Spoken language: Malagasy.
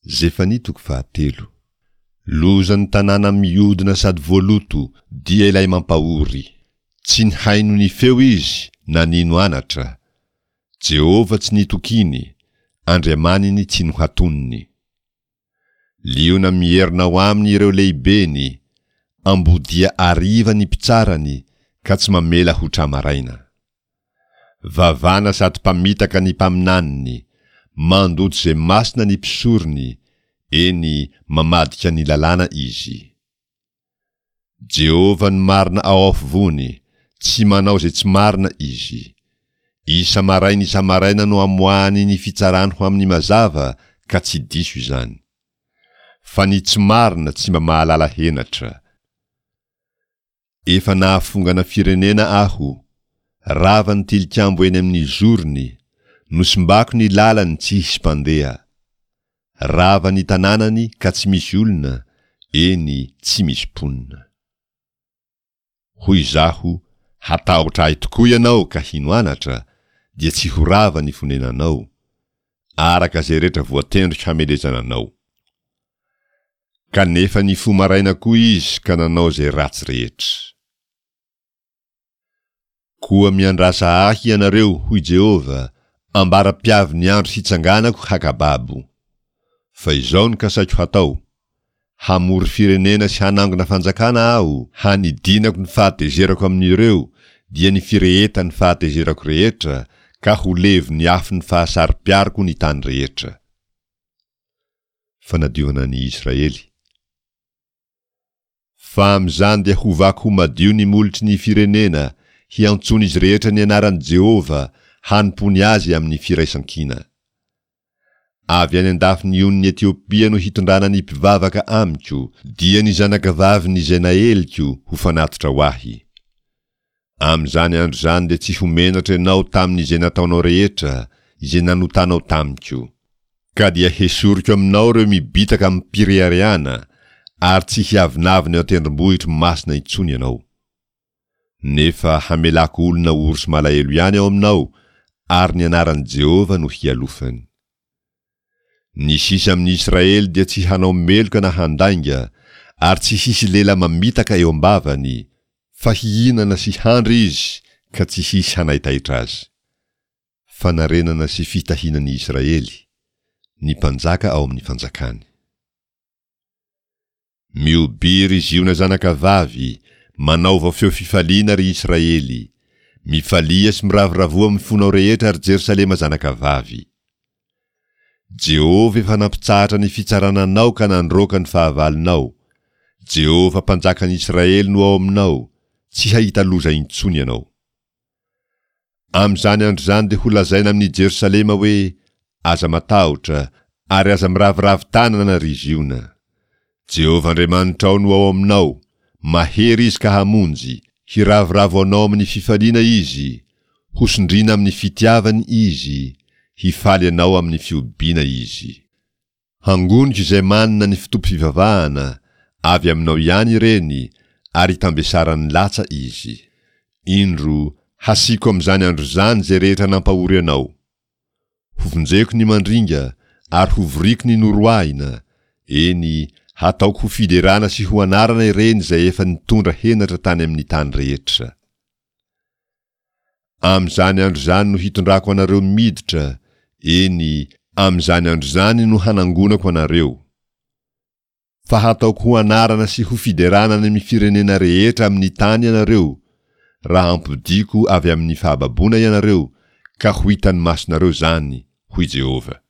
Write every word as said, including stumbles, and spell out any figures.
Zefania toko fahatelo. Lozan'ny tanàna miodina sady voaloto, dia ilay mampahory. Tsy nihaino ny feo izy na nino anatra. Jehovah tsy nitokiny, Andriamaniny tsy nohatoniny. Liona mierona ao aminy ireo lehibeny, ambodia ariva ny mpitsarany ka tsy mamela ho tra-maraina. Vavana sady mpamitaka ny mpaminaniny, mandoto izay masina ny mpisorony, eny, mamadika ny lalàna izy. Jehovah no marina ao afovoany, tsy manao izay tsy marina izy. Isa-maraina isa-maraina no amoahany ny fitsarany ho amin'ny mazava ka tsy diso izany. Fa ny tsy marina tsy mba mahalala henatra. Efa nahafongana firenena aho, rava ny tilikambo eny amin'ny zorony, nosimbako ny lalany tsy hisy mpandeha. Rava ny tanànany ka tsy misy olona, eny, tsy misy mponina. Hoy izaho, hatahotra ahy tokoa ianao ka hino anatra, dia tsy ho rava ny fonenanao, araka izay rehetra voatendriko hamelezana anao. Kanefa nifoha maraina koa izy ka nanao izay ratsy rehetra. Koa miandrasa ahy ianareo, hoy Jehovah, ambara-piavy ny andro hitsanganako haka babo. Fa izao no kasaiko hatao, hamory firenena sy hanangona fanjakana aho, hanidinako ny fahatezerako amin'ireo, dia ny firehetan'ny fahatezerako rehetra, ka ho levon'ny afon'ny fahasaro-piariko ny tany rehetra. Fanadiovana ny Israely. Fa amin'izany dia hovako ho madio ny molotry ny firenena, hiantsoan'izy rehetra ny anaran'i Jehovah, hanompoany azy amin'ny firaisankina. Avy any an-dafin'ny onin'i Etiopia no hitondrana ny mpivavaka amiko, dia ny zanakavaviny izay naeliko ho fanatitra ho ahy. Amin'izany andro izany dia tsy ho menatra ianao tamin'izay nataonao rehetra, izay nanotanao tamiko. Ka dia hesoriko aminao ireo mibitaka amim-pireharehana, ary tsy hiavonavona eo an-tendrombohitro masina intsony ianao. Nefa hamelako olona ory sy malahelo ihany ao aminao, ary ny anaran'i Jehovah no hialofany. Ny sisa amin'ny Israely dia tsy hanao meloka na handainga, ary tsy hisy lela mamitaka eo am-bavany, fa hihinana sy handry izy ka tsy hisy hanaitaitra azy. Fanarenana sy fitahiana ny Israely, ny mpanjaka ao amin'ny fanjakany. Mihobiha ry Ziona zanakavavy, manaova feo fifaliana ry Israely. Mifalia sy miravoravoa amin'ny fonao rehetra ry Jerosalema zanakavavy. Jehovah efa nampitsahatra ny fitsarana anao ka nandroaka ny fahavalonao. Jehovah Mpanjakan'ny Israely no ao aminao, tsy hahita loza intsony ianao. Amin'izany andro izany dia holazaina amin'i Jerosalema hoe, Aza matahotra, ary aza miraviravy tanana, ry Ziona. Jehovah Andriamanitrao no ao aminao, mahery Izy ka hamonjy, hiravoravo anao amin'ny fifaliana Izy, hosondriana amin'ny fitiavany Izy, hifaly anao amin'ny fihobiana Izy. Hangoniko izay manana ny fotoam-pivavahana, avy aminao ihany ireny, ary hitambesaran'ny latsa izy. Indro, hasiako amin'izany andro izany izay rehetra nampahory anao. Hovonjeko ny mandringa, ary hovoriko ny noroahina, eny, hataoko ho fiderana sy ho anarana ireny izay efa nitondra henatra tany amin'ny tany rehetra. Amin'izany andro izany no hitondrako anareo miditra, eny, amin'izany andro izany no hanangonako anareo. Fa hataoko ho anarana sy ho fiderana any amin'ny firenena rehetra amin'ny tany ianareo, raha ampodiako avy amin'ny fahababoana ianareo, ka ho hitan'ny masonareo izany, hoy Jehovah.